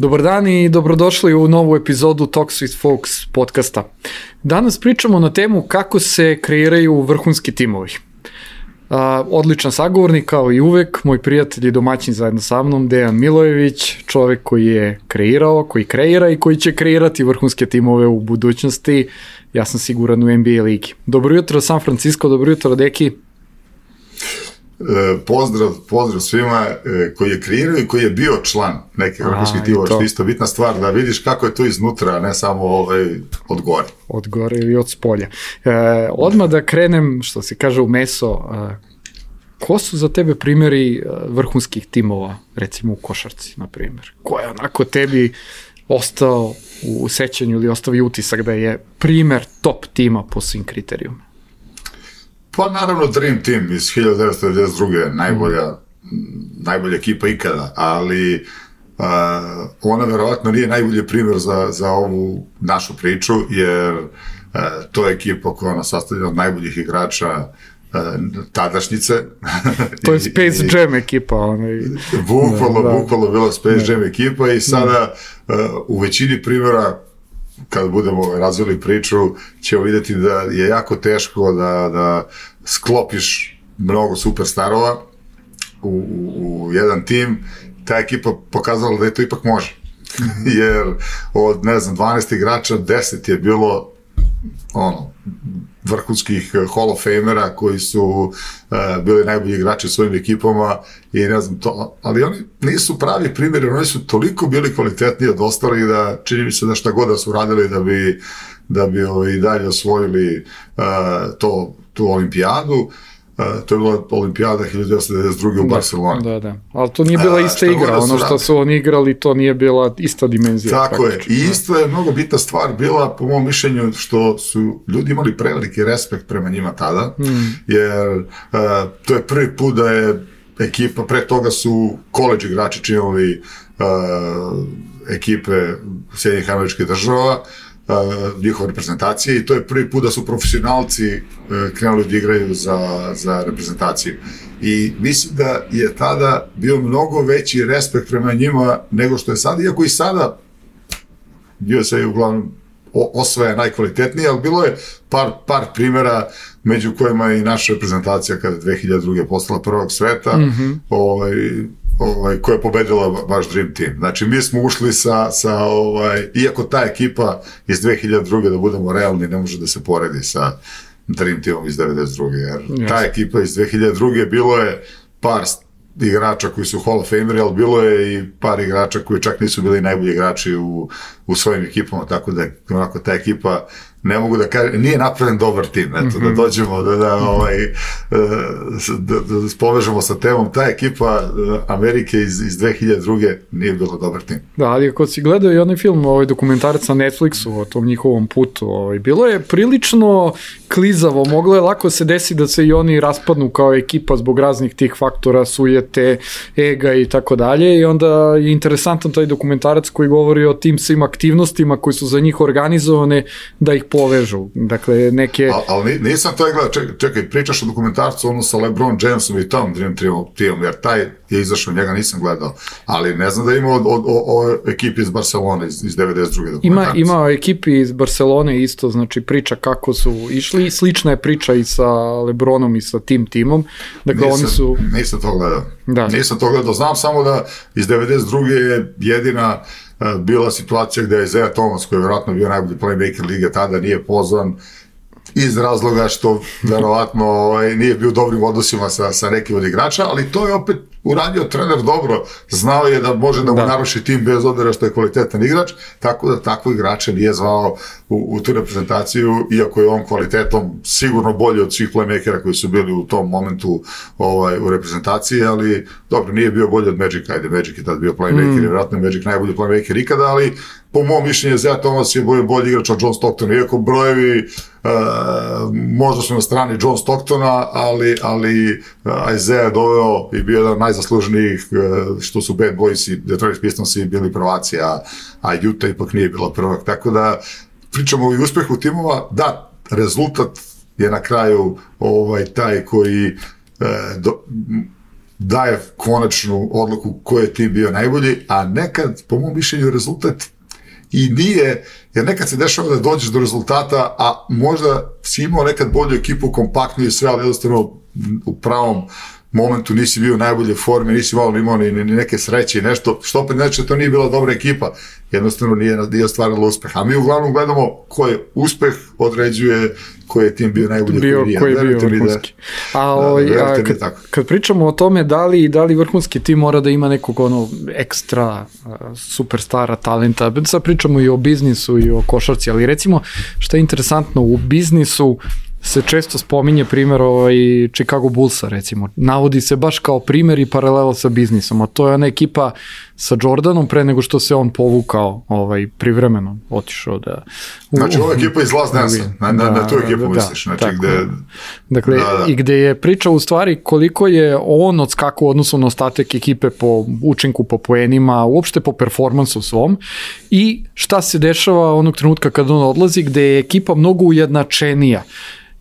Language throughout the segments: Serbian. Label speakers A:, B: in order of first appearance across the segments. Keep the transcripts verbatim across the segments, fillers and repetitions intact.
A: Dobar dan i dobrodošli u novu epizodu Talks with Folks podcasta. Danas pričamo na temu kako se kreiraju vrhunski timovi. Uh, odličan sagovornik kao i uvek, moj prijatelj i domaćin zajedno sa mnom, Dejan Milojević, čovek koji je kreirao, koji kreira i koji će kreirati vrhunske timove u budućnosti, ja sam siguran u N B A ligi. Dobro jutro San Francisco, dobro jutro Deki.
B: E, pozdrav, pozdrav svima e, koji je kreirao i koji je bio član nekih vrhunskih timova, što je isto bitna stvar, da vidiš kako je to iznutra, a ne samo ovaj, od gore.
A: Od gore ili od spolja. E, odmah da krenem, što se kaže u meso, e, ko su za tebe primjeri vrhunskih timova, recimo u košarci, na primjer? Ko je onako tebi ostao u sećanju ili ostavi utisak da je primjer top tima po svim kriterijuma?
B: Pa naravno Dream Team iz hiljadu devetsto devedeset druge najbolja, mm. najbolja ekipa ikada, ali uh, ona verovatno nije najbolji primjer za, za ovu našu priču, jer uh, to je ekipa koja je sastavljena od najboljih igrača uh, tadašnjice.
A: To je Space Jam ekipa. Onaj...
B: Bukvalno, da, bukvalno bila Space da. Jam ekipa i sada uh, u većini primjera kad budemo razvili priču, ćemo vidjeti da je jako teško da, da sklopiš mnogo superstarova u, u, u jedan tim. Ta ekipa pokazala da je to ipak može. Jer od, ne znam, dvanaest igrača, deset je bilo ono, vrhunskih Hall of Famera koji su uh, bili najbolji igrači u svojim ekipama i ne znam to, ali oni nisu pravi primjeri, oni su toliko bili kvalitetniji od ostalih da čini mi se da šta god da su radili da bi, da bi ovaj, dalje osvojili uh, to, tu olimpijadu. Uh, to je bila olimpijada hiljadu devetsto devedeset druge u Barceloni.
A: Da, da, ali to nije bila ista uh, igra, ono što su oni igrali, to nije bila ista dimenzija.
B: Tako je, i isto je mnogo bitna stvar bila, po mom mišljenju, što su ljudi imali preveliki respekt prema njima tada, mm. jer uh, to je prvi put da je ekipa, pre toga su koledž igrači činili uh, ekipe Sjedinjenih Američkih Država, Uh, njihove reprezentacije i to je prvi put da su profesionalci uh, krenuli da igraju za, za reprezentaciju. I mislim da je tada bio mnogo veći respekt prema njima nego što je sada, iako i sada U S A uglavnom osvaja najkvalitetnije, ali bilo je par, par primjera među kojima je i naša reprezentacija kada je dve hiljade druge postala prvog sveta, mm-hmm. ovaj, ovaj, koja je pobedila baš Dream Team. Znači, mi smo ušli sa, sa ovaj, iako ta ekipa iz dve hiljade druge, da budemo realni, ne može da se poredi sa Dream Teamom iz devedeset druge jer yes. ta ekipa iz dve hiljade druge bilo je par igrača koji su Hall of Fameri, ali bilo je i par igrača koji čak nisu bili najbolji igrači u, u svojim ekipama, tako da onako ta ekipa, ne mogu da kažem, nije napravljen dobar tim, eto, mm-hmm. da dođemo, da, da, ovaj, da, da, da povežemo sa temom, ta ekipa Amerike iz, iz dve hiljade druge nije bilo dobar tim.
A: Da, ali ako si gledao i onaj film, ovaj dokumentarac na Netflixu o tom njihovom putu, ovaj, bilo je prilično klizavo, moglo je lako se desiti da se i oni raspadnu kao ekipa zbog raznih tih faktora, sujete, ega i tako dalje, i onda je interesantan taj dokumentarac koji govori o tim svim aktivnostima koji su za njih organizovane da ih povežu, dakle neke...
B: Al, ali nisam taj gledao, čekaj, čekaj, pričaš o dokumentarcu ono sa LeBron Jamesom i tom Dream Teamom, jer taj je izašao, njega nisam gledao, ali ne znam da ima o, o, o ekipi iz Barcelone iz, iz devedeset druge dokumentarca.
A: Ima, ima o ekipi iz Barcelone isto, znači priča kako su išli, slična je priča i sa LeBronom i sa tim timom, dakle
B: nisam,
A: oni su...
B: Nisam to gledao,
A: da.
B: nisam to gledao, znam samo da iz devedeset druge je jedina bila situacija gde je Isaiah Thomas, koji je vjerojatno bio najbolji playmaker lige, tada nije pozvan iz razloga što verovatno ovaj, nije bio u dobrim odnosima sa, sa nekim od igrača, ali to je opet uradio trener dobro, znao je da može da mu da. naruši tim bez obzira što je kvalitetan igrač, tako da takvo igrače nije zvao u, u tu reprezentaciju, iako je on kvalitetom sigurno bolji od svih playmakera koji su bili u tom momentu ovaj, u reprezentaciji, ali dobro, nije bio bolji od Magic, ajde, Magic je tad bio playmaker, mm. vjerojatno je Magic najbolji playmaker ikada, ali po mom mišljenju Isaiah Thomas je bolji, bolji igrač od John Stocktona, iako brojevi uh, možda su na strani John Stocktona, ali, ali uh, Isaiah je doveo i bio jedan najzasluženijih, uh, što su Bad Boys i Detroit Pistonsi bili prvaci, a, a Utah ipak nije bila prvak, tako da pričamo i uspehu timova, da, rezultat je na kraju ovaj, taj koji uh, do, daje konačnu odluku ko je tim bio najbolji, a nekad, po mom mišljenju, rezultat i nije, jer nekad se dešava da dođeš do rezultata, a možda si imao nekad bolju ekipu, kompaktniju i sve, ali jednostavno u pravom momentu nisi bio u najbolje forme, nisi malo imao ni, ni neke sreće i nešto, što opet neće, to nije bila dobra ekipa, jednostavno nije, nije ostvarilo uspeh. A mi uglavnom gledamo ko je uspeh, određuje koji je tim bio najbolji,
A: bio,
B: koji nije.
A: Koji je bio vrhunski. Da, a, ovaj, da, a kad, kad pričamo o tome da li, da li vrhunski tim mora da ima nekog ono ekstra superstara talenta, sad pričamo i o biznisu i o košarci, ali recimo šta je interesantno u biznisu, se često spominje primjer ovaj Chicago Bullsa, recimo. Navodi se baš kao primjer i paralela sa biznisom, a to je ona ekipa sa Jordanom pre nego što se on povukao ovaj, privremeno, otišao da...
B: Znači, ova ekipa iz Las Vegas, na, na, na tu ekipu da, misliš, znači tako, gde...
A: Dakle, da, da. I gde je priča u stvari koliko je on odskakao odnosno na ostatak ekipe po učinku, po poenima, uopšte po performansu svom i šta se dešava onog trenutka kad on odlazi, gde je ekipa mnogo ujednačenija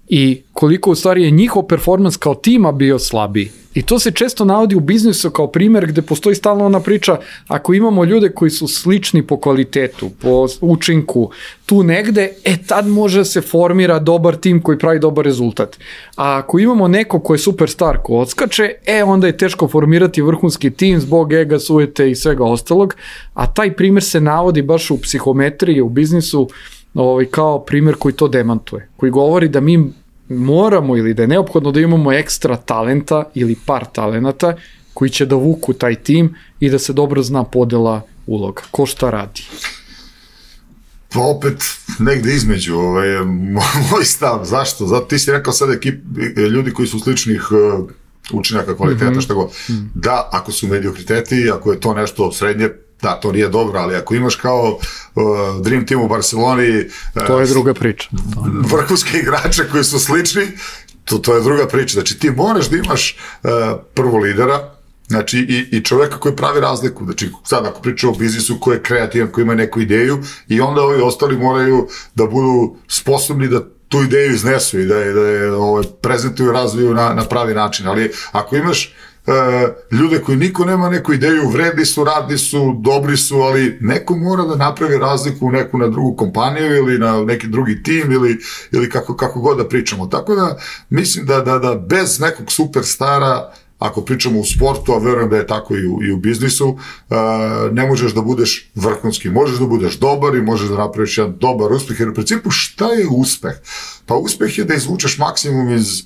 A: i koliko u stvari je njihov performans kao tima bio slabiji. I to se često navodi u biznisu kao primjer gde postoji stalno ona priča, ako imamo ljude koji su slični po kvalitetu, po učinku, tu negde, e tad može se formira dobar tim koji pravi dobar rezultat. A ako imamo neko ko je superstar ko odskače, e onda je teško formirati vrhunski tim zbog ega, sujete i svega ostalog, a taj primjer se navodi baš u psihometriji, u biznisu, ovaj, kao primjer koji to demantuje, koji govori da mi moramo ili da je neophodno da imamo ekstra talenta ili par talenata koji će da vuku taj tim i da se dobro zna podela uloga. Ko šta radi?
B: Pa opet negde između ovaj, moj stav. Zašto? Zato ti si rekao sad ekip, ljudi koji su sličnih uh, učinaka, kvaliteta, mm-hmm. šta go. Mm. Da, ako su mediokriteti, ako je to nešto srednje, da, to nije dobro, ali ako imaš kao uh, Dream Team u Barceloni... Uh,
A: to je druga priča.
B: Vrhunske igrače koji su slični, to, to je druga priča. Znači ti moraš da imaš uh, prvo lidera, znači i, i čoveka koji pravi razliku. Znači sad ako pričamo o biznisu koji je kreativan, koji ima neku ideju i onda ovi ostali moraju da budu sposobni da tu ideju iznesu i da je, da je ovaj, prezentuju i razviju na, na pravi način. Ali ako imaš Uh, ljude koji niko nema neku ideju, vredni su, radni su, dobri su, ali neko mora da napravi razliku u neku na drugu kompaniju ili na neki drugi tim ili, ili kako, kako god da pričamo. Tako da mislim da, da, da bez nekog superstara, ako pričamo u sportu, a verujem da je tako i u, i u biznisu, uh, ne možeš da budeš vrhunski. Možeš da budeš dobar i možeš da napraviš jedan dobar uspeh, jer u principu šta je uspeh? Pa uspeh je da izvučeš maksimum iz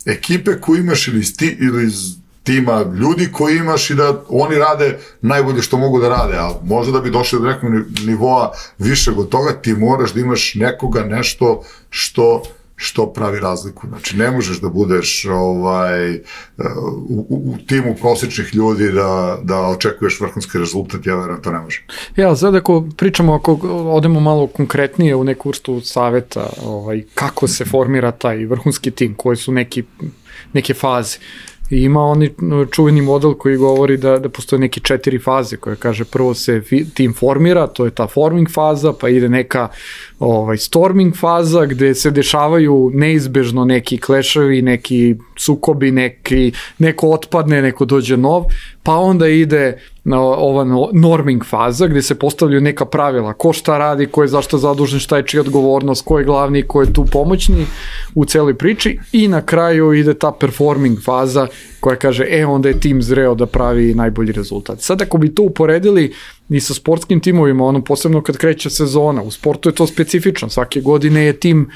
B: ekipe koju imaš ili iz, ti, ili iz tima ljudi koji imaš i da oni rade najbolje što mogu da rade, a možda da bi došli do nekog nivoa višeg od toga, ti moraš da imaš nekoga, nešto što što pravi razliku. Znači, ne možeš da budeš ovaj, u, u timu prosječnih ljudi da, da očekuješ vrhunski rezultat, ja verujem, to ne može.
A: Ja, sad ako pričamo, ako odemo malo konkretnije u neku vrstu saveta, ovaj, kako se formira taj vrhunski tim, koje su neki, neke faze. I ima oni čuveni model koji govori da, da postoje neke četiri faze koje kaže prvo se tim formira, to je ta forming faza, pa ide neka ovaj, storming faza gde se dešavaju neizbežno neki kleševi, neki sukobi, neki, neko otpadne, neko dođe nov, pa onda ide ova norming faza gde se postavljaju neka pravila, ko šta radi, ko je zašto zadužen, šta je čija odgovornost, ko je glavni, ko je tu pomoćni u celoj priči i na kraju ide ta performing faza koja kaže, e, onda je tim zreo da pravi najbolji rezultat. Sad ako bi to uporedili i sa sportskim timovima, ono posebno kad kreće sezona, u sportu je to specifično, svake godine je tim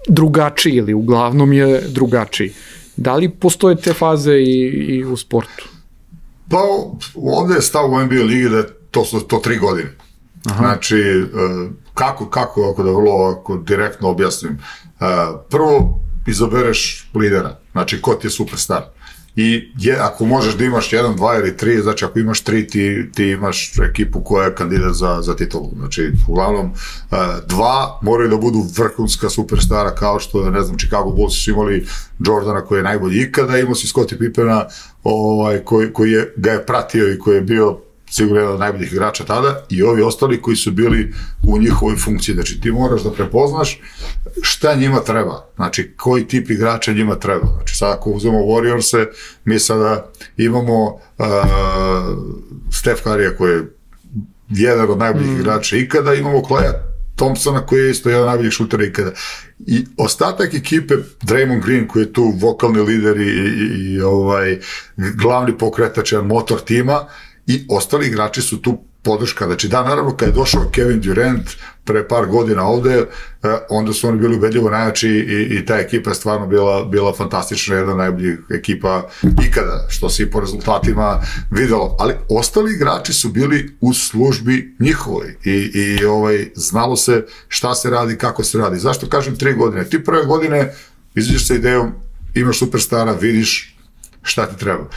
A: drugačiji ili uglavnom je drugačiji. Da li postoje te faze i, i u sportu?
B: Pa ovde je stav u N B A ligi da to su to tri godine. Aha. Znači, kako, kako, ako da vrlo ako direktno objasnim, prvo izabereš lidera, znači ko ti je superstar. I je, ako možeš da imaš jedan, dva ili tri, znači ako imaš tri, ti, ti imaš ekipu koja je kandidat za, za titulu. Znači, uglavnom, dva moraju da budu vrhunska superstara, kao što, ne znam, Chicago Bulls su imali Jordana koji je najbolji ikada, imao si Scottie Pippena ovaj, koji, koji je, ga je pratio i koji je bio sigurno jedan od najboljih igrača tada, i ovi ostali koji su bili u njihovoj funkciji. Znači, ti moraš da prepoznaš šta njima treba, znači, koji tip igrača njima treba. Znači, sad ako uzmemo Warriors-e, mi sada imamo uh, Steph Curry koji je jedan od najboljih mm. igrača ikada, imamo Klaya Thompsona koji je isto jedan od najboljih šutera ikada. I ostatak ekipe, Draymond Green koji je tu vokalni lider i, i, i ovaj, glavni pokretač, motor tima, i ostali igrači su tu podrška. Znači, da, naravno, kad je došao Kevin Durant pre par godina ovde, onda su oni bili ubedljivo najjači i, i ta ekipa je stvarno bila, bila fantastična, jedna od najboljih ekipa ikada, što se i po rezultatima videlo. Ali ostali igrači su bili u službi njihovoj i, i ovaj, znalo se šta se radi, kako se radi. Zašto kažem tri godine? Ti prve godine izađeš sa idejom, imaš superstara, vidiš šta ti treba.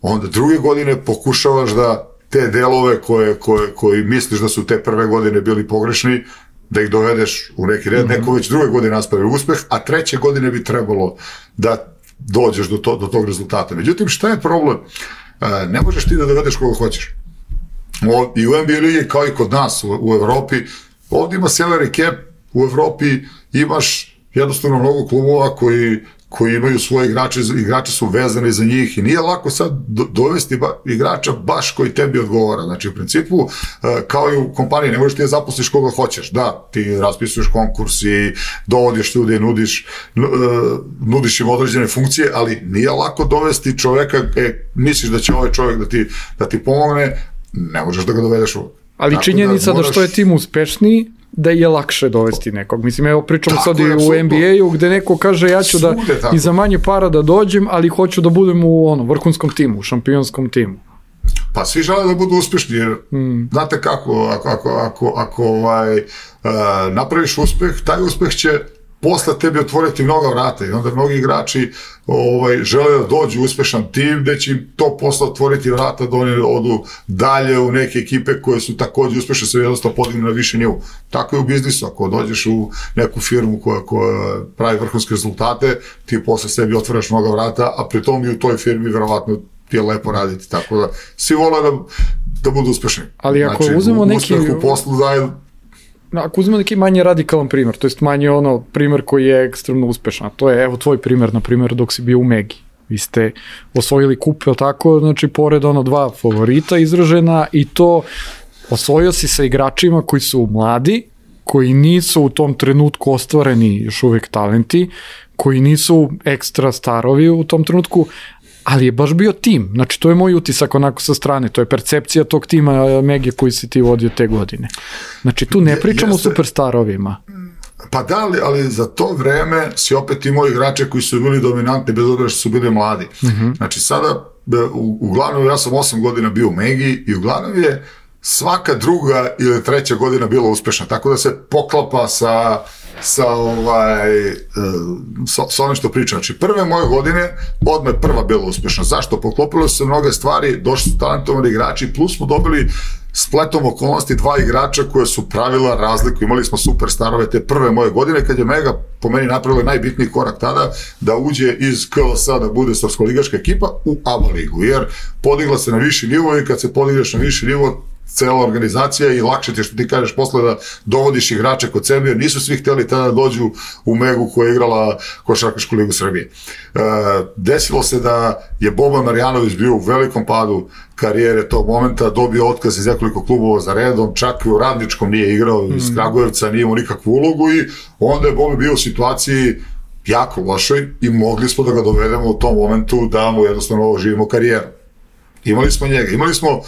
B: Onda druge godine pokušavaš da te delove koje, koje, koji misliš da su te prve godine bili pogrešni, da ih dovedeš u neki red, mm-hmm. neko već druge godine nastavi uspeh, a treće godine bi trebalo da dođeš do, to, do tog rezultata. Međutim, šta je problem? E, ne možeš ti da dovedeš koga hoćeš. O, i u N B A ligi, kao i kod nas u, u Evropi, ovdje ima salary cap, u Evropi imaš jednostavno mnogo klubova koji koji imaju svoje igrače, igrači su vezani za njih i nije lako sad do, dovesti ba, igrača baš koji tebi odgovara. Znači, u principu, uh, kao i u kompaniji, ne možeš ti da zaposliš koga hoćeš. Da, ti raspisuješ konkurs i dovodiš ljude i nudiš, uh, nudiš im određene funkcije, ali nije lako dovesti čoveka, e, misliš da će ovaj čovek da ti, da ti pomogne, ne možeš da ga dovedeš uvek.
A: Ali tako činjenica da, moraš... da što je tim uspešniji, da je lakše dovesti nekog. Mislim, evo pričamo tako sad i u N B A-u gde neko kaže ja ću da i za manje para da dođem, ali hoću da budem u ono, vrhunskom timu, u šampionskom timu.
B: Pa svi žele da budu uspešni, jer mm. znate kako, ako, ako, ako, ako ovaj, uh, napraviš uspeh, taj uspeh će posle tebi otvoriti mnoga vrata i onda mnogi igrači ovaj, žele da dođu u uspešan tim gde će im to posle otvoriti vrata da oni odu dalje u neke ekipe koje su takođe uspešne, se jednostavno podignu na više nivu. Tako je u biznisu, ako dođeš u neku firmu koja, koja pravi vrhunske rezultate, ti posle sebi otvaraš mnoga vrata, a pri tom i u toj firmi verovatno ti je lepo raditi, tako da svi vole da, da budu uspešni. Ali ako znači, uzmemo neki... Uspeh u poslu daje.
A: Ako uzmemo neki manje radikalan primjer, to jest manje ono primjer koji je ekstremno uspešan, to je evo tvoj primjer, na primjer dok si bio u Megi. Vi ste osvojili kup, je li tako, znači pored ono dva favorita izražena i to osvojio si sa igračima koji su mladi, koji nisu u tom trenutku ostvareni još uvek talenti, koji nisu ekstra starovi u tom trenutku, ali je baš bio tim. Znači, to je moj utisak onako sa strane. To je percepcija tog tima Mege koji si ti vodio te godine. Znači, tu ne pričamo Jeste. o superstarovima.
B: Pa da, ali, ali za to vreme si opet imao igrače koji su bili dominantni, bez obzira što su bili mladi. Uh-huh. Znači, sada, u, uglavnom, ja sam osam godina bio u Megi i uglavnom je svaka druga ili treća godina bila uspešna. Tako da se poklapa sa... sa ovaj sa, sa onim što pričam. Znači, prve moje godine odmah prva bila uspešna. Zašto? Poklopilo su se mnoge stvari, došli su talentovani igrači, plus smo dobili spletom okolnosti dva igrača koje su pravila razliku. Imali smo superstarove te prve moje godine, kad je Mega po meni napravila najbitniji korak tada da uđe iz K L S-a da bude srpsko-ligaška ekipa u A B A ligu, jer podigla se na viši nivo i kad se podigneš na viši nivo cela organizacija i lakše ti što ti kažeš posle da dovodiš igrače kod sebe, jer nisu svi hteli tada da dođu u Megu koja je igrala Košarkašku ligu Srbije. E, desilo se da je Boban Marjanović bio u velikom padu karijere tog momenta, dobio otkaz iz nekoliko klubova za redom, čak i u Radničkom nije igrao, iz Kragujevca nije imao nikakvu ulogu i onda je Boban bio u situaciji jako lošoj i mogli smo da ga dovedemo u tom momentu da mu jednostavno živimo karijeru. Imali smo njega, imali smo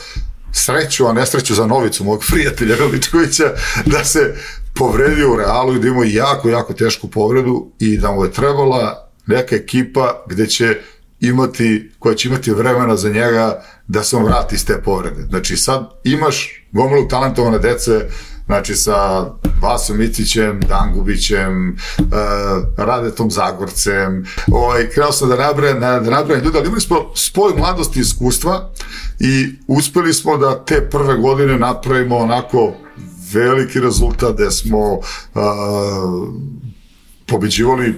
B: sreću, a nesreću za Novicu, mog prijatelja Veličkovića, da se povredio u Realu i da imao jako, jako tešku povredu i da mu je trebala neka ekipa gde će imati, koja će imati vremena za njega da se on vrati iz te povrede. Znači sad imaš gomilu talentovane dece, znači sa Vasom Micićem, Dangubićem, uh, Radetom Zagorcem, ovaj, krenuo sam da nabrajem, da nabrajem ljudi, ali imali smo spoj mladosti i iskustva i uspeli smo da te prve godine napravimo onako veliki rezultat gde smo uh, pobeđivali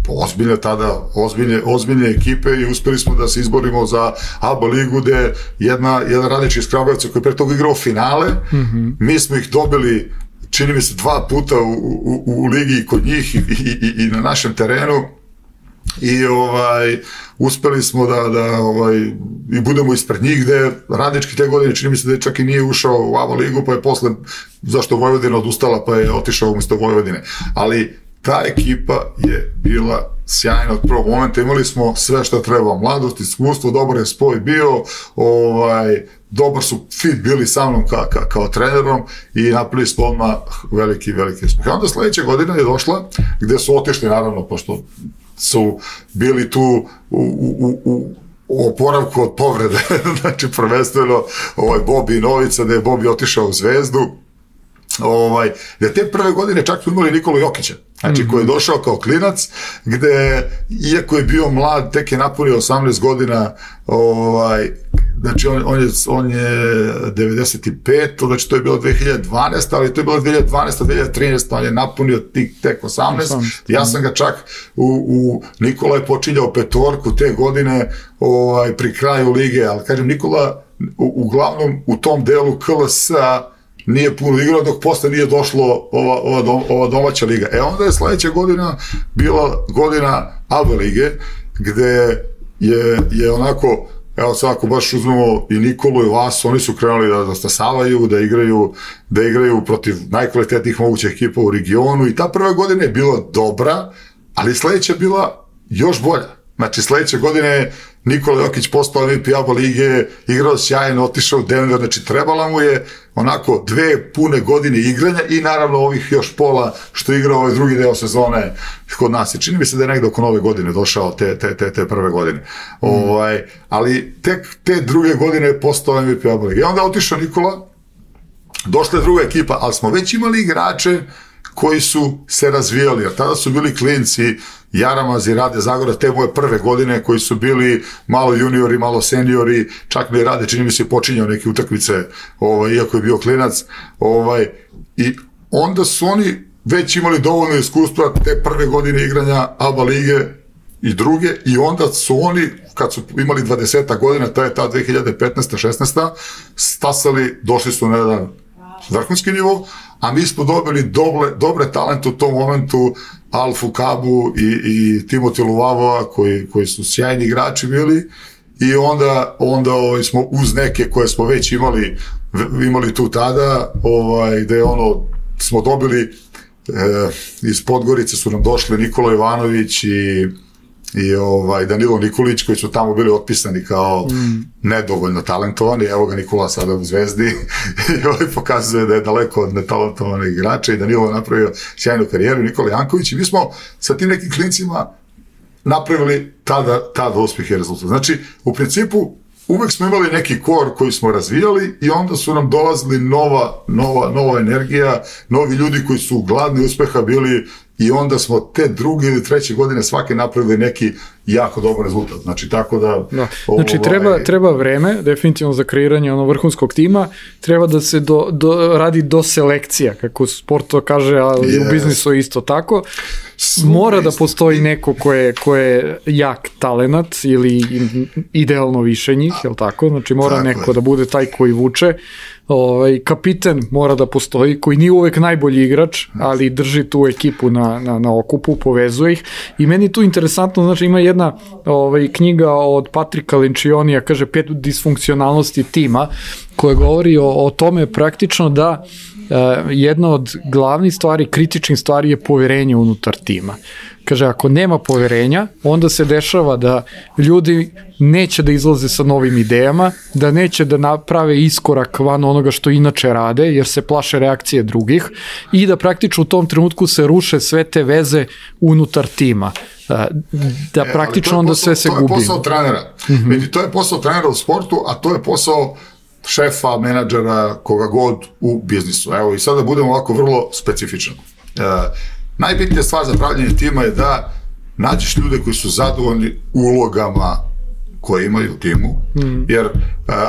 B: ozbiljne tada, ozbiljne, ozbiljne ekipe i uspeli smo da se izborimo za A B A ligu, gde jedna, jedan radnički iz Kragujevca koji pre toga igrao finale, mm-hmm. mi smo ih dobili, čini mi se, dva puta u, u, u ligi kod njih i, i, i na našem terenu i ovaj, uspeli smo da, da ovaj, i budemo ispred njih, gde radnički te godine čini mi se da čak i nije ušao u A B A ligu, pa je posle, zašto Vojvodina odustala, pa je otišao umjesto Vojvodine, ali ta ekipa je bila sjajna od prvog momenta, imali smo sve što treba, mladost, iskustvo, dobar je spoj bio, ovaj, dobar su fit bili sa mnom ka, ka, kao trenerom i napravili smo odmah veliki, veliki uspeh. Onda sledeće godine je došla, gde su otišli, naravno, pošto su bili tu u, u, u, u oporavku od povrede, znači prvenstveno ovaj, Bobi i Novica, da je Bobi otišao u Zvezdu, ovaj, da te prve godine čak smo imali Nikolu Jokića, znači koji je došao kao klinac, gde, iako je bio mlad, tek je napunio osamnaest godina, ovaj, znači on, on, je, on je devedeset pet, znači to je bilo dve hiljade dvanaeste, ali to je bilo dve hiljade dvanaeste dve hiljade trinaeste, on je napunio tik, tek osamnaest, ja sam ga čak u, u Nikola je počinjao petorku te godine ovaj, pri kraju lige, ali kažem, Nikola u, uglavnom u tom delu K L S-a nije puno igrao dok posle nije došlo ova, ova, dom, ova domaća liga. E onda je sledeća godina bila godina A B A lige, gde je, je onako, evo sad ako baš uzmemo i Nikolu i Vasu, oni su krenuli da, da stasavaju, da igraju, da igraju protiv najkvalitetnijih mogućih ekipa u regionu i ta prva godina je bila dobra, ali sledeća je bila još bolja. Znači sledeće godine Nikola Jokić postao M V P A B A lige, igrao sjajno, otišao u Denver, znači trebala mu je onako dve pune godine igranja i naravno ovih još pola što je igrao ovaj drugi deo sezone kod nas. I čini mi se da je negde oko nove godine došao te, te, te, te prve godine. Mm. Ovaj, ali tek te druge godine je postao M V P A B A lige. I onda je otišao Nikola, došla je druga ekipa, ali smo već imali igrače koji su se razvijali, jer tada su bili klinci, Jaramaz i Rade Zagora, te moje prve godine, koji su bili malo juniori, malo seniori, čak mi je Rade, čini mi se, počinjao neke utakmice, ovaj, iako je bio klinac, ovaj, i onda su oni već imali dovoljno iskustva te prve godine igranja A B A lige i druge, i onda su oni, kad su imali dvadeset godina, ta je ta dve hiljade petnaesta šesnaesta stasali, došli su na jedan vrhunski nivo, a mi smo dobili dobre, dobre talente u tom momentu, Alfu Kabu i, i Timoti Luvavova, koji, koji su sjajni igrači bili, i onda, onda ovaj, smo uz neke koje smo već imali, imali tu tada, ovaj, gde ono, smo dobili, eh, iz Podgorice su nam došli Nikola Ivanović i i ovaj Danilo Nikolić, koji su tamo bili otpisani kao mm. nedovoljno talentovani. Evo ga Nikola sada u Zvezdi i ovaj pokazuje da je daleko od netalentovanih igrača i Danilo je napravio sjajnu karijeru, Nikola Janković, i mi smo sa tim nekim klincima napravili tada, tada uspjeh i rezultat. Znači, u principu uvek smo imali neki kor koji smo razvijali i onda su nam dolazili nova, nova, nova energija, novi ljudi koji su gladni uspeha bili, i onda smo te druge ili treće godine svake napravili neki jako dobar rezultat. Znači, tako da... da.
A: Znači, ovaj... treba, treba vreme, definitivno, za kreiranje ono vrhunskog tima, treba da se do, do, radi do selekcija, kako sport to kaže, ali yes. u biznisu je isto tako. Mora da postoji neko ko je, ko je jak talenat ili idealno više njih, je li tako? Znači, mora tako neko je. Da bude taj koji vuče. Ovaj, kapiten mora da postoji, koji nije uvek najbolji igrač, ali drži tu ekipu na, na, na okupu, povezuje ih. I meni tu interesantno, znači ima jedna ovaj, knjiga od Patrika Lencioni, kaže pet disfunkcionalnosti tima, koja govori o, o tome praktično da Uh, jedna od glavnih stvari, kritičnih stvari je poverenje unutar tima. Kaže, ako nema poverenja, onda se dešava da ljudi neće da izlaze sa novim idejama, da neće da naprave iskorak van onoga što inače rade, jer se plaše reakcije drugih, i da praktično u tom trenutku se ruše sve te veze unutar tima. Uh, da e, praktično onda posao, sve se gubi. To je posao trenera. Mm-hmm. To je posao trenera u sportu, a to je posao šefa, menadžera, koga god u biznisu. Evo, i sada budemo ovako vrlo specifičan. E, najbitnija stvar za pravljenje tima je da nađeš ljude koji su zadovoljni ulogama koje imaju u timu, mm. jer e,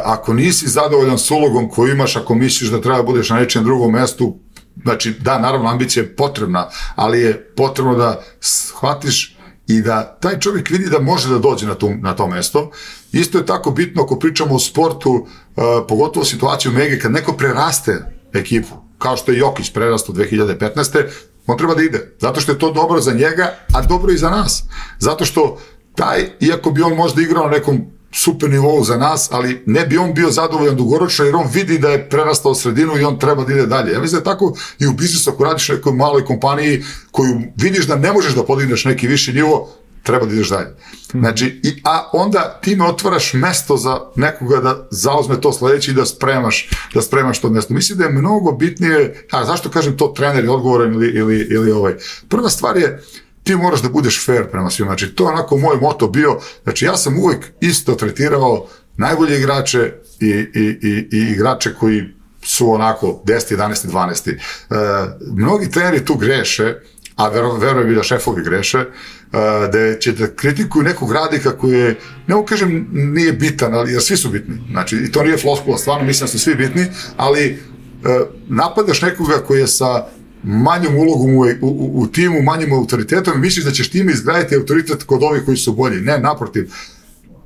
A: ako nisi zadovoljan s ulogom koju imaš, ako misliš da treba budeš na nečijem drugom mestu, znači da, naravno, ambicija je potrebna, ali je potrebno da shvatiš
B: i da taj čovjek vidi da može da dođe na, tu, na to mesto. Isto je tako bitno ako pričamo o sportu, uh, pogotovo situaciju Mege, kad neko preraste ekipu, kao što je Jokić prerastao dve hiljade petnaeste. on treba da ide, zato što je to dobro za njega, a dobro i za nas. Zato što taj, iako bi on možda igrao na nekom super nivou za nas, ali ne bi on bio zadovoljan dugoročno, jer on vidi da je prerastao sredinu i on treba da ide dalje. Ja mislim da je tako i u biznisu, ako radiš u nekoj maloj kompaniji koju vidiš da ne možeš da podigneš neki viši nivo, treba da ideš dalje. Znači, i, a onda ti me otvaraš mesto za nekoga da zauzme to sledeće i da spremaš, da spremaš to mesto. Mislim da je mnogo bitnije, a zašto kažem to, trener je odgovoran ili, ili, ili ovaj. Prva stvar je, ti moraš da budeš fair prema svima. Znači, to je onako moj moto bio. Znači, ja sam uvek isto tretirao najbolje igrače i, i, i, i igrače koji su onako deset, jedanaest, dvanaest. E, mnogi treneri tu greše, a verujem i da šefovi greše, da će da kritikuju nekog radnika koji je, ne mogu kažem nije bitan, ali jer svi su bitni. Znači, i to nije floskula, stvarno mislim da su svi bitni, ali napadaš nekoga koji je sa manjom ulogom u, u, u timu, manjim autoritetom i misliš da ćeš time izgraditi autoritet kod ovih koji su bolji. Ne, naprotiv.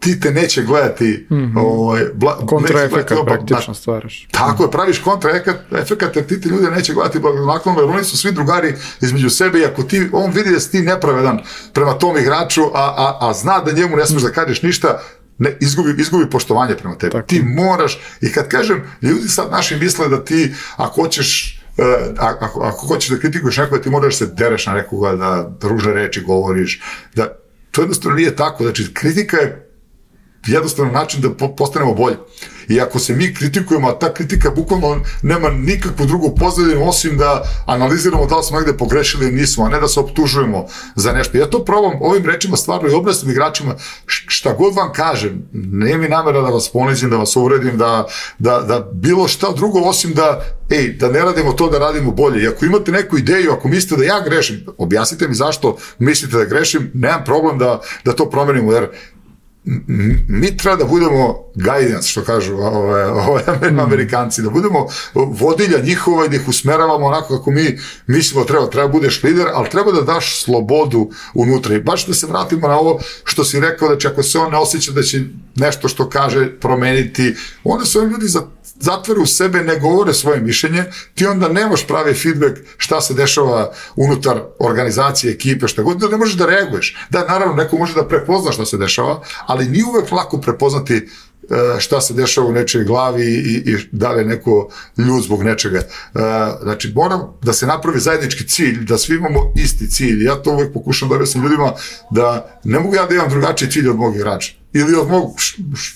B: Ti te neće gledati mm-hmm. ovaj,
A: kontraefekat praktično stvaraš.
B: Tako je, praviš kontraefekat jer ti te ljude neće gledati blagonaklono, jer oni su svi drugari između sebe i ako ti, on vidi da si ti nepravedan prema tom igraču, a, a, a zna da njemu ne smiješ da kažeš ništa, ne, izgubi, izgubi poštovanje prema tebi. Tako. Ti moraš, i kad kažem, ljudi sad naši misle da ti, ako hoćeš Uh, ako, ako hoćeš da kritikuješ nekoga, ti moraš se dereš na nekoga, da ružne reči govoriš, da to jednostavno nije tako. Znači, kritika je jednostavno način da po, postanemo bolji. I ako se mi kritikujemo, a ta kritika bukvalno nema nikakvu drugu pozadinu osim da analiziramo da li smo negde pogrešili ili nismo, a ne da se optužujemo za nešto. Ja to probam ovim rečima stvarno i obrasnim igračima, šta god vam kažem, nije mi namera da vas ponizim, da vas uvredim, da, da, da bilo šta drugo osim da, ej, da ne radimo to, da radimo bolje. I ako imate neku ideju, ako mislite da ja grešim, objasnite mi zašto mislite da grešim, nemam problem da, da to promenimo, jer mi treba da budemo guidance, što kažu ove, ove Amerikanci, da budemo vodilja njihova i da ih usmeravamo onako kako mi mislimo treba, treba budeš lider, ali treba da daš slobodu unutra. I baš da se vratimo na ovo što si rekao, da će ako se on ne osjeća da će nešto što kaže promeniti, onda se ovi ljudi zatvore u sebe, ne govore svoje mišljenje, ti onda nemaš pravi feedback šta se dešava unutar organizacije, ekipe, šta god, da ne možeš da reaguješ. Da, naravno, neko može da prepozna šta se dešava, ali nije uvek lako prepoznati šta se dešava u nečoj glavi i, i da li je neko ljud zbog nečega. Znači, moram da se napravi zajednički cilj, da svi imamo isti cilj. Ja to uvek pokušam da objasnim ljudima da ne mogu ja da imam drugačiji cilj od mog igrača ili od mog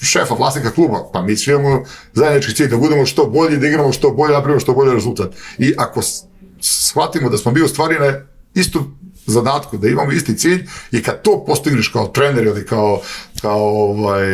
B: šefa, vlasnika kluba, pa mi svi imamo zajednički cilj, da budemo što bolji, da igramo što bolje, napravimo što bolji rezultat. I ako shvatimo da smo bili u stvari na istu zadatku, da imamo isti cilj i kad to postigneš kao trener ili kao, kao ovaj,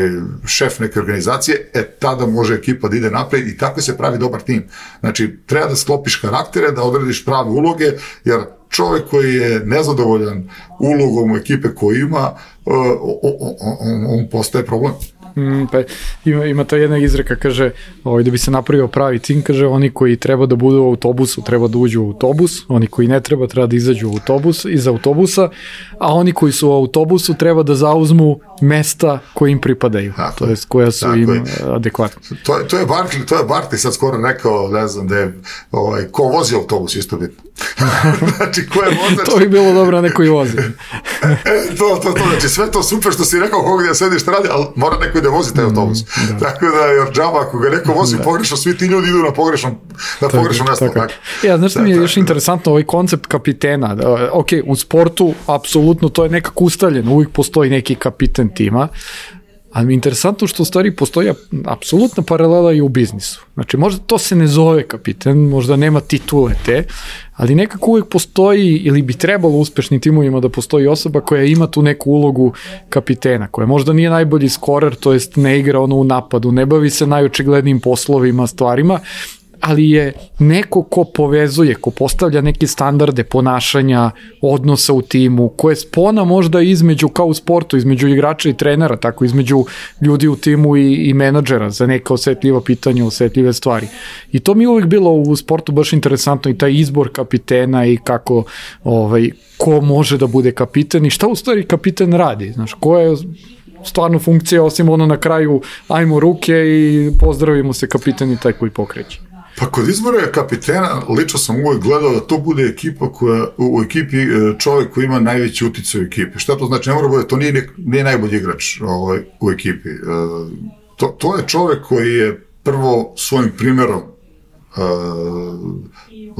B: šef neke organizacije, e tada može ekipa da ide napred i tako se pravi dobar tim. Znači, treba da sklopiš karaktere, da odrediš prave uloge, jer čovjek koji je nezadovoljan ulogom ekipe koju ima, on, on postaje problem.
A: Mm, pa ima, ima ta jedna izreka, kaže, ovaj, da bi se napravio pravi tim, kaže, oni koji treba da budu u autobusu, treba da uđu u autobus, oni koji ne treba, treba da izađu u autobus, iz autobusa, a oni koji su u autobusu treba da zauzmu mesta koje im pripadaju, tako, to jest koja su im je. adekvatne.
B: To, to je Barkley, to je Barkley sad skoro rekao, ne znam, da je, ovaj, ko vozi autobus, isto bitno. Znači, ko je vozač?
A: To bi bilo dobro, neko i vozi.
B: e, to, to, to, znači, sve to super što si rekao, koga da sediš šta radi, ali mora neko da vozi taj autobus. Mm, da. Tako da, jer džaba, ako ga neko vozi da. pogrešno, svi ti ljudi idu na pogrešnom, na pogrešnom mesto. Tako.
A: Ja, znaš što mi je još interesantno, ovaj koncept kapitena. Da, ok, u sportu, apsolutno, to je nekako ustaljeno, uvijek postoji neki kapiten tima, ali mi je interesantno što u stvari postoji apsolutna paralela i u biznisu. Znači, možda to se ne zove kapiten, možda nema titule te, ali nekako uvijek postoji, ili bi trebalo u uspešnim timovima da postoji osoba koja ima tu neku ulogu kapitena, koja možda nije najbolji skorer, to jest ne igra ono u napadu, ne bavi se najočiglednijim poslovima, stvarima, ali je neko ko povezuje, ko postavlja neke standarde ponašanja, odnosa u timu, ko je spona možda između, kao u sportu, između igrača i trenera, tako između ljudi u timu i, i menadžera za neka osetljiva pitanja, osetljive stvari. I to mi je uvijek bilo u sportu baš interesantno i taj izbor kapitena i kako, ovaj, ko može da bude kapiten i šta u stvari kapiten radi, znaš, ko je stvarno funkcija, osim ono na kraju ajmo ruke i pozdravimo se, kapitan i taj koji pokreće.
B: Pa kod izbora kapitena, lično sam uvijek gledao da to bude ekipa koja, u ekipi čovjek koji ima najveći uticaj u ekipi. Šta to znači? Ne mora bude, to nije, nek, nije najbolji igrač ovaj, u ekipi. To, to je čovjek koji je prvo svojim primjerom uh,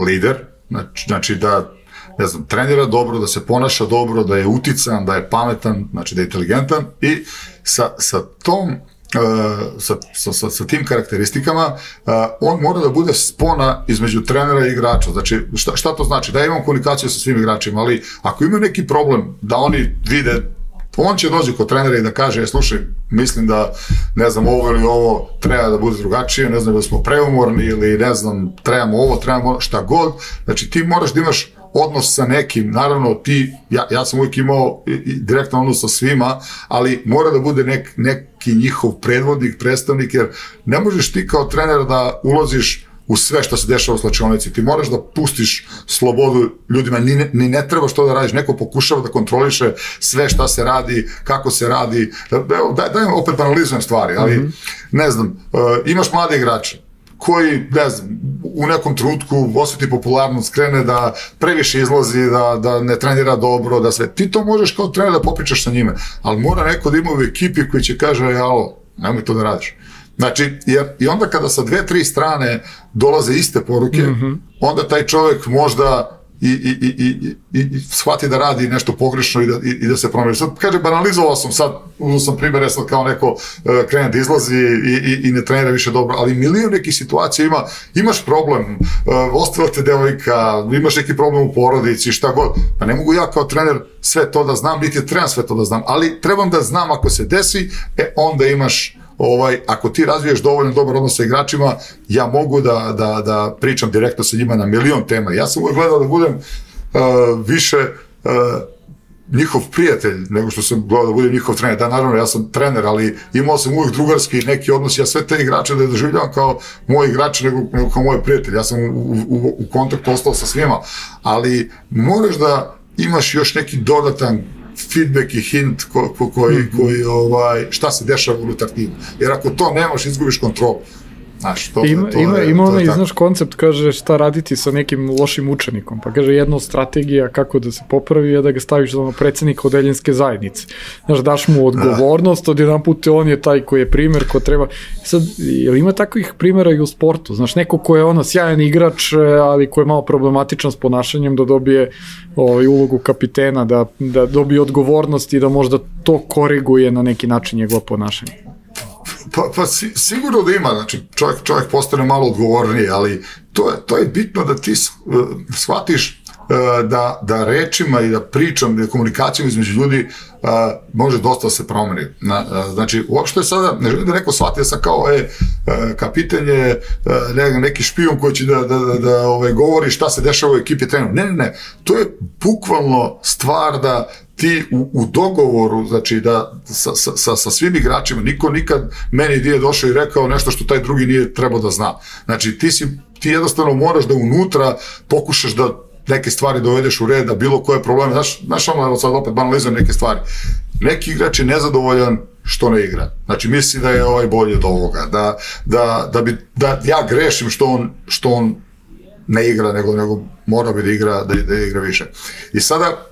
B: lider, znači, znači da ne znam, trenira dobro, da se ponaša dobro, da je utican, da je pametan, znači da je inteligentan i sa, sa tom Uh, sa, sa, sa tim karakteristikama uh, on mora da bude spona između trenera i igrača. Znači, šta, šta to znači? Da imam komunikaciju sa svim igračima, ali ako imaju neki problem da oni vide, on će doći kod trenera i da kaže, je, slušaj, mislim da, ne znam, ovo ili ovo treba da bude drugačije, ne znam da smo preumorni ili ne znam, trebamo ovo, trebamo šta god. Znači, ti moraš da imaš odnos sa nekim, naravno ti, ja, ja sam uvijek imao direktan odnos sa svima, ali mora da bude nek, neki njihov predvodnik, predstavnik, jer ne možeš ti kao trener da ulaziš u sve što se dešava u slačionici, ti moraš da pustiš slobodu ljudima, ni ne, ni ne treba što da radiš, neko pokušava da kontroliše sve šta se radi, kako se radi, daj, daj opet banalizujem stvari, ali mm-hmm. ne znam, uh, imaš mlade igrače, koji, ne znam, u nekom trenutku osjeti popularnost, krene da previše izlazi, da, da ne trenira dobro, da sve. Ti to možeš kao trener da popričaš sa njime, ali mora neko da ima u ekipi koji će kaže, alo, nemoj to da radiš. Znači, jer, i onda kada sa dve, tri strane dolaze iste poruke, mm-hmm. onda taj čovjek možda i, i, i, i, i shvati da radi nešto pogrešno i da, i, i da se promeni. Sad, kaže, banalizovao sam sad, uzao sam primjer, sad kao neko uh, krene da izlazi i, i, i ne trenira više dobro, ali milion nekih situacija ima, imaš problem, uh, ostala te devojka, imaš neki problem u porodici, šta god, pa ne mogu ja kao trener sve to da znam, niti trebam sve to da znam, ali trebam da znam ako se desi, e, onda imaš ovaj, ako ti razviješ dovoljno dobar odnos sa igračima, ja mogu da, da, da pričam direktno sa njima na milion tema. Ja sam uvijek gledao da budem uh, više uh, njihov prijatelj, nego što sam gledao da budem njihov trener. Da, naravno, ja sam trener, ali imao sam uvijek drugarski neki odnos, ja sve te igrače da je doživljavam kao moji igrači, nego, nego kao moje prijatelje. Ja sam u, u, u kontaktu ostao sa svima, ali moraš da imaš još neki dodatan feedback i hint ko, ko, koji, mm-hmm. koji ovaj, šta se dešava unutar tima. Jer ako to nemaš, izgubiš kontrolu. Znaš, to,
A: ima
B: to,
A: ima,
B: je,
A: ima
B: to
A: onaj,
B: je
A: znaš, koncept, kaže šta raditi sa nekim lošim učenikom, pa kaže jedna od strategija kako da se popravi je da ga staviš za predsjednika odeljenske zajednice. Znaš, daš mu odgovornost, od jedan put on je taj koji je primer, ko treba. Sad, jel ima takvih primjera i u sportu? Znaš, neko ko je ono sjajan igrač, ali ko je malo problematičan s ponašanjem, da dobije ovaj, ulogu kapitena, da, da dobije odgovornost i da možda to koriguje na neki način njegova ponašanje.
B: Pa, pa si, sigurno da ima, znači čovjek, čovjek postane malo odgovorniji, ali to je, to je bitno da ti uh, shvatiš uh, da, da rečima i da pričam, da komunikacijom između ljudi uh, može dosta se promeni. Na, uh, znači, uopšte sada, ne želim da neko shvati, ja sam kao, e, uh, kapitan je uh, ne, neki špijun koji će da, da, da, da ovaj, govori šta se dešava u ekipi treneru. Ne, ne, ne, to je bukvalno stvar da ti u, u dogovoru, znači da sa, sa, sa svim igračima, niko nikad meni nije došao i rekao nešto što taj drugi nije trebao da zna. Znači ti, si, ti jednostavno moraš da unutra pokušaš da neke stvari dovedeš u red, da bilo koje probleme, znaš, znaš ono, sad opet banalizujem neke stvari. Neki igrač je nezadovoljan što ne igra. Znači misli da je ovaj bolji od ovoga, da, da, da, bi, da ja grešim što on, što on ne igra, nego, nego mora bi da igra, da, da igra više. I sada,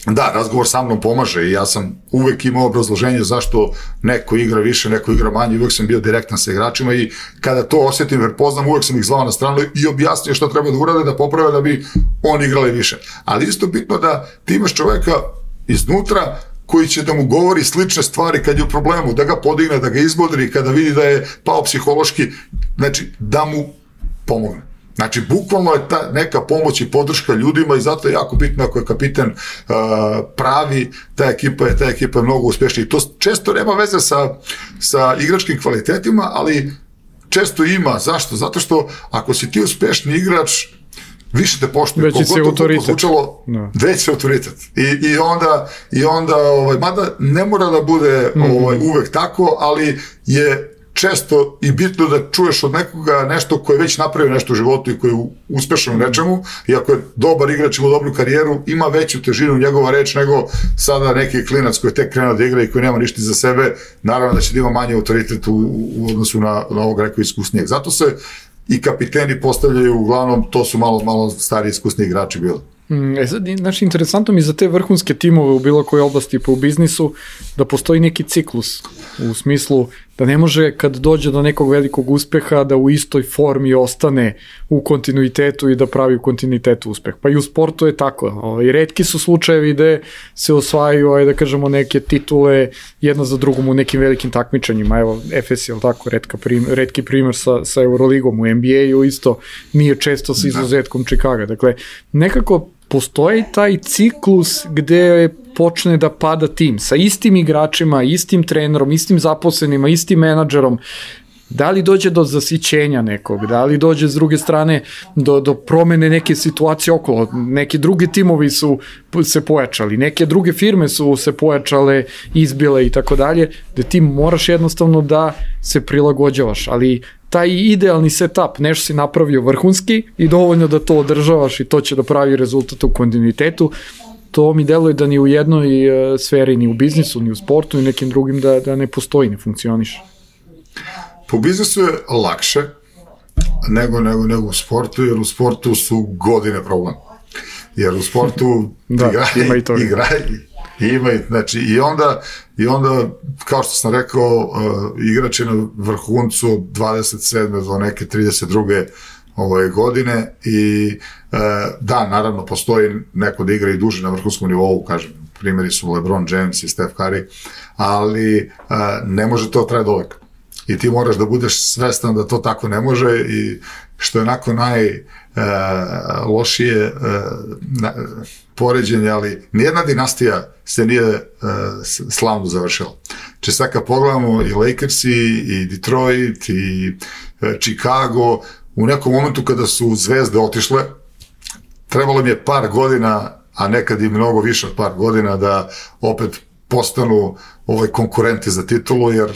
B: da, razgovor sa mnom pomaže i ja sam uvek imao obrazloženje zašto neko igra više, neko igra manje, uvek sam bio direktan sa igračima i kada to osjetim jer poznam, uvek sam ih zvao na stranu i objasnio šta treba da urade, da poprave da bi oni igrali više. Ali isto bitno da ti imaš čoveka iznutra koji će da mu govori slične stvari kad je u problemu, da ga podigne, da ga izbodri, kada vidi da je pao psihološki, znači da mu pomogne. Znači, bukvalno je ta neka pomoć i podrška ljudima i zato je jako bitno ako je kapitan uh, pravi, ta ekipa je, ta ekipa je mnogo uspješnija. I to često nema veze sa, sa igračkim kvalitetima, ali često ima. Zašto? Zato što ako si ti uspešni igrač, više te poštuje.
A: Veći si autoritet.
B: Zvučalo, no. Veći autoritet. I, i onda, i onda ovaj, mada ne mora da bude ovaj, uvek tako, ali je često i bitno da čuješ od nekoga nešto koje je već napravio nešto u životu i koji je uspešan u nečemu, i ako je dobar igrač, ima dobru karijeru, ima veću težinu njegova reč nego sada neki klinac koji je tek krenuo da igra i koji nema ništa za sebe, naravno da će da ima manji autoritet u, u odnosu na, na ovog rekao iskusnijeg. Zato se i kapiteni postavljaju, uglavnom, to su malo, malo stari iskusni igrači bili.
A: E sad, znači, interesantno mi za te vrhunske timove u bilo kojoj oblasti pa u biznisu da postoji neki ciklus u smislu da ne može kad dođe do nekog velikog uspeha da u istoj formi ostane u kontinuitetu i da pravi u kontinuitetu uspeh. Pa i u sportu je tako. I retki su slučajevi gde se osvajaju, aj da kažemo, neke titule jedna za drugom u nekim velikim takmičanjima. Evo, F S je tako, retka prim, retki primer sa, sa Euroligom u N B A-u isto nije često sa izuzetkom Chicaga. Dakle, nekako postoji taj ciklus gde počne da pada tim sa istim igračima, istim trenerom, istim zaposlenima, istim menadžerom. Da li dođe do zasićenja nekog, da li dođe s druge strane do, do promene neke situacije okolo, neki drugi timovi su se pojačali, neke druge firme su se pojačale, izbile i tako dalje, da ti moraš jednostavno da se prilagođavaš, ali taj idealni setup, nešto si napravio vrhunski i dovoljno da to održavaš i to će da pravi rezultat u kontinuitetu, to mi deluje da ni u jednoj sferi, ni u biznisu, ni u sportu, ni nekim drugim da, da ne postoji, ne funkcioniše.
B: Po biznisu je lakše nego, nego, nego u sportu, jer u sportu su godine problem. Jer u sportu
A: da,
B: igraj,
A: ima i to.
B: Igraj, ima i, znači, i onda, i onda, kao što sam rekao, uh, igrač je na vrhuncu od dvadeset sedme do neke trideset druge ove godine i uh, da, naravno, postoji neko da igra i duže na vrhunskom nivou, kažem, primjeri su LeBron James i Steph Curry, ali uh, ne može to trajati dovek. I ti moraš da budeš svestan da to tako ne može i što je onako najlošije uh, uh, poređenje, ali nijedna dinastija se nije uh, slavno završila. Če sad kad pogledamo i Lakersi, i Detroit, i uh, Chicago, u nekom momentu kada su zvezde otišle, trebalo mi je par godina, a nekad i mnogo više od par godina, da opet postanu ovaj konkurenti za titulu, jer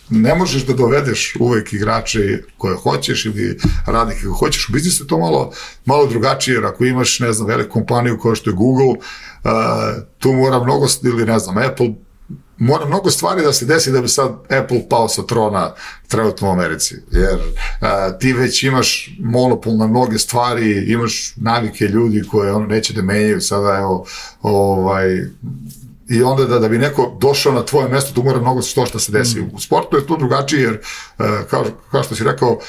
B: ne možeš da dovedeš uvek igrače koje hoćeš ili radnike koje hoćeš. U biznisu je to malo, malo drugačije, jer ako imaš, ne znam, veliku kompaniju kao što je Google, uh, tu mora mnogo, ili ne znam, Apple, mora mnogo stvari da se desi da bi sad Apple pao sa trona trenutno u Americi, jer uh, ti već imaš monopol na mnoge stvari, imaš navike ljudi koje ono neće da menjaju sada, evo, ovaj, i onda da, da bi neko došao na tvoje mesto, tu mora mnogo što šta se desi. Mm. U sportu je to drugačije, jer kao, kao što si rekao,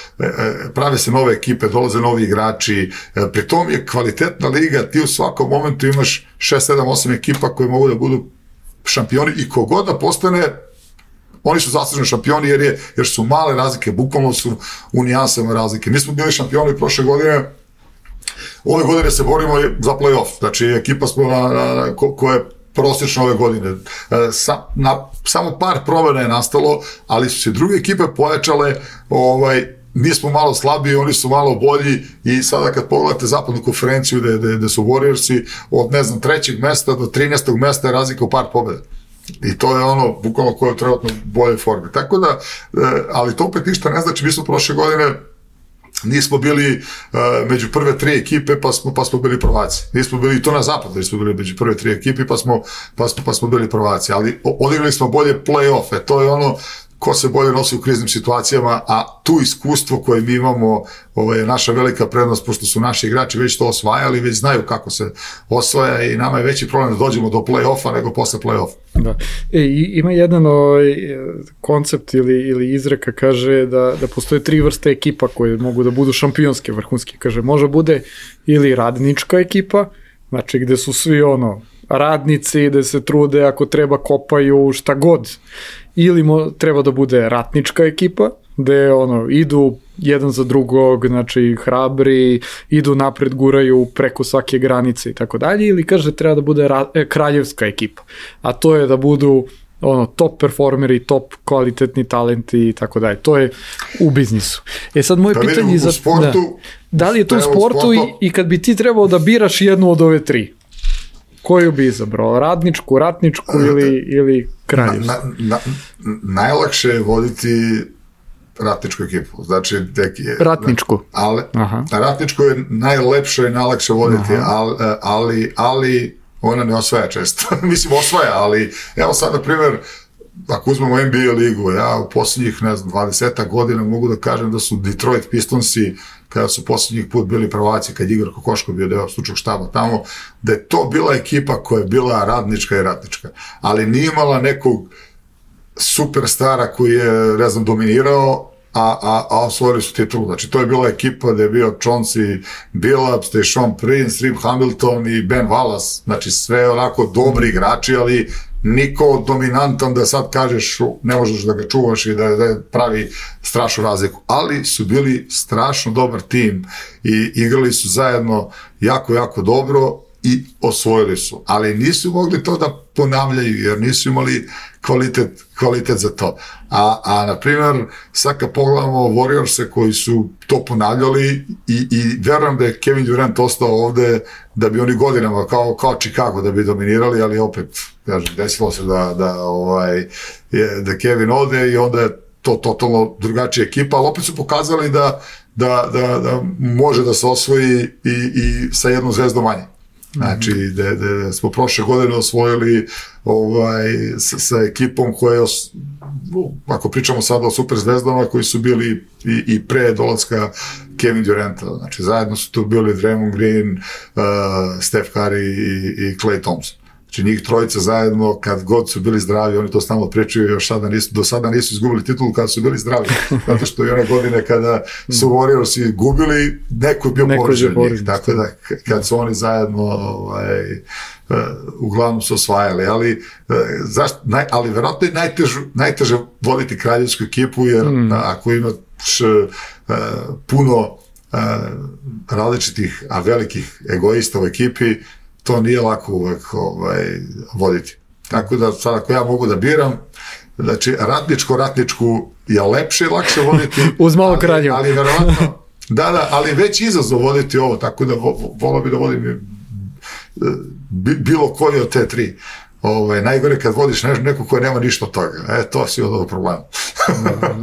B: prave se nove ekipe, dolaze novi igrači, pri tom je kvalitetna liga, ti u svakom momentu imaš šest, sedam, osam ekipa koje mogu da budu šampioni i kogod da postane, oni su zasluženi šampioni jer, je, jer su male razlike, bukvalno su u nijansama razlike. Mi smo bili šampioni prošle godine, ove godine se borimo za play-off, znači ekipa smo na, na, na ko, koja je prosječno ove godine. Sa, na, samo par promjena je nastalo, ali su se druge ekipe pojačale, ovaj, mi smo malo slabiji, oni su malo bolji i sada kad pogledate zapadnu konferenciju gde, gde, gde su Warriorsi od, ne znam, trećeg mesta do trinaestog mesta je razlika u par pobjeda. I to je ono, bukvalno koje je trenutno bolje forme. Tako da, ali to opet ništa ne znači, mi smo prošle godine nismo bili uh, među prve tri ekipe, pa smo, pa smo bili prvaci. Nismo bili, to na zapadu, nismo bili među prve tri ekipe, pa smo, pa smo, pa smo bili prvaci. Ali odigrali smo bolje play-offe. To je ono ko se bolje nosi u kriznim situacijama, a tu iskustvo koje mi imamo, ovo je naša velika prednost, pošto su naši igrači već to osvajali, već znaju kako se osvaja i nama je veći problem da dođemo do play-offa nego posle play-offa. Da.
A: E, ima jedan ovaj, koncept ili, ili izreka, kaže da, da postoje tri vrste ekipa koje mogu da budu šampionske, vrhunske. Kaže, može bude ili radnička ekipa, znači gde su svi ono, radnici, gde se trude, ako treba kopaju šta god, ili mo, treba da bude ratnička ekipa, gde ono, idu jedan za drugog, znači hrabri, idu napred, guraju preko svake granice i tako dalje, ili kaže treba da bude ra, e, kraljevska ekipa, a to je da budu ono, top performeri, top kvalitetni talenti i tako dalje. To je u biznisu. E sad moje
B: pa
A: pitanje
B: vidim,
A: za...
B: u sportu,
A: da, da li je to u sportu, sportu i, i kad bi ti trebao da biraš jednu od ove tri? Koju bi izabrao? Radničku, ratničku ili, ili kraljevsku?
B: Na, na, na, najlakše je voditi ratničku ekipu. Znači, tek je...
A: Ratničku?
B: Ali, ratničku je najlepše i najlakše voditi, ali, ali, ali ona ne osvaja često. Mislim, osvaja, ali evo sad, na primjer, ako uzmemo N B A ligu, ja u posljednjih, ne znam, dvadeset godina mogu da kažem da su Detroit Pistonsi, kada su posljednjih put bili prvaci, kad Igor Kokoško bio deo stručnog štaba tamo, da je to bila ekipa koja je bila radnička i ratnička, ali nije imala nekog superstara koji je, ne znam, dominirao, a, a, a osvojili su titulu. Znači, to je bila ekipa da je bio Chauncey Billups, da je Sean Prince, Rip Hamilton i Ben Wallace. Znači, sve onako dobri igrači, ali niko dominantan da sad kažeš ne možeš da ga čuvaš i da, da pravi strašnu razliku. Ali su bili strašno dobar tim i igrali su zajedno jako, jako dobro i osvojili su. Ali nisu mogli to da ponavljaju jer nisu imali kvalitet, kvalitet za to. A, a na primjer, sad kad pogledamo Warriors-e koji su to ponavljali i, i verujem da je Kevin Durant ostao ovde da bi oni godinama kao, kao Chicago da bi dominirali, ali opet kažem, desilo se da, da, ovaj, je, da Kevin ode i onda je to totalno drugačija ekipa, ali opet su pokazali da, da, da, da može da se osvoji i, i sa jednom zvezdom manje. Znači, da, da smo prošle godine osvojili ovaj, sa, sa ekipom koja je, os, ako pričamo sada o super zvezdama, koji su bili i, i pre dolaska Kevin Duranta. Znači, zajedno su tu bili Draymond Green, uh, Steph Curry i, i Klay Thompson. Znači, njih trojica zajedno, kad god su bili zdravi, oni to stalno pričaju, još sada nisu, do sada nisu izgubili titulu kada su bili zdravi. Zato što i one godine kada su Warriorsi gubili, neko je bio poređen njih. Tako da, kad su oni zajedno, ovaj, uh, uglavnom su osvajali. Ali, uh, zašto, naj, ali verovatno je najteže, najteže voditi kraljevsku ekipu, jer mm. a, ako imaš uh, puno uh, različitih, a velikih egoista u ekipi, to nije lako uvek ovaj, voditi. Tako da sad ako ja mogu da biram, znači ratničko, ratničku je lepše i lakše voditi.
A: Uz malo kralju.
B: Ali, ali verovatno, da, da, ali već izazov voditi ovo, tako da vo, volao bi da vodim bilo koji od te tri. Ovaj, najgore kad vodiš ne, neko koje nema ništa od toga. E, to si od ovog problema.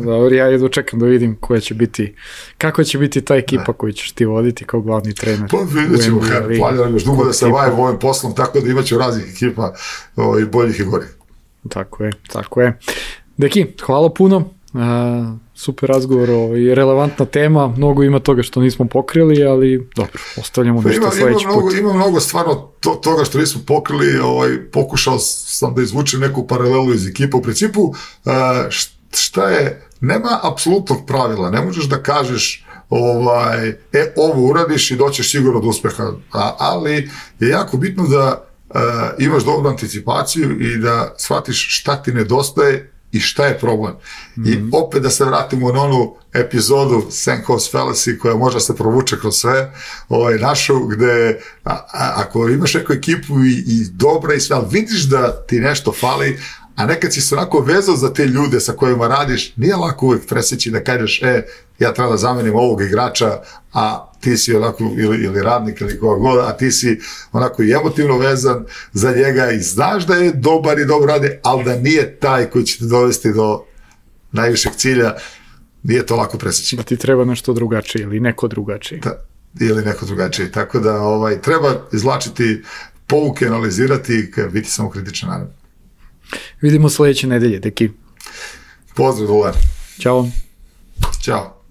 A: Dobro, ja jedno čekam da vidim koja će biti, kako će biti ta ekipa ne. koju ćeš ti voditi kao glavni trener.
B: Pa vidjet ćemo, planiram još dugo da se bavim ovim poslom, tako da imat ću raznih ekipa o, i boljih i gorih.
A: Tako je, tako je. Deki, hvala puno. Uh, super razgovor i relevantna tema, mnogo ima toga što nismo pokrili, ali dobro, ostavljamo
B: pa
A: nešto
B: ima,
A: sledeći
B: ima
A: put.
B: Mnogo, ima mnogo stvarno to, toga što nismo pokrili, ovaj, pokušao sam da izvučem neku paralelu iz ekipa. U principu, uh, šta je, nema apsolutnog pravila, ne možeš da kažeš ovaj, e, ovo uradiš i doćeš sigurno do uspeha, a, ali je jako bitno da uh, imaš dobru anticipaciju i da shvatiš šta ti nedostaje i šta je problem. Mm-hmm. I opet da se vratimo na onu epizodu Senko's Fallacy koja može se provuče kroz sve, ovaj, našu, gde a, a, ako imaš neku ekipu i, i dobra i sve, ali vidiš da ti nešto fali, a nekad si se onako vezao za te ljude sa kojima radiš, nije lako uvek preseći da kažeš, e, ja treba da zamenim ovog igrača, a ti si onako, ili, ili radnik, ili koga god, a ti si onako i emotivno vezan za njega i znaš da je dobar i dobro radi, ali da nije taj koji će te dovesti do najvišeg cilja, nije to lako preseći.
A: Da ti treba nešto drugačije ili neko drugačije.
B: Da, ili neko drugačije. Tako da ovaj, treba izvlačiti pouke, analizirati i biti samo kritičan, naravno.
A: Vidimo sledeće nedelje, Deki.
B: Pozdrav, Dulan.
A: Ćao.
B: Ćao.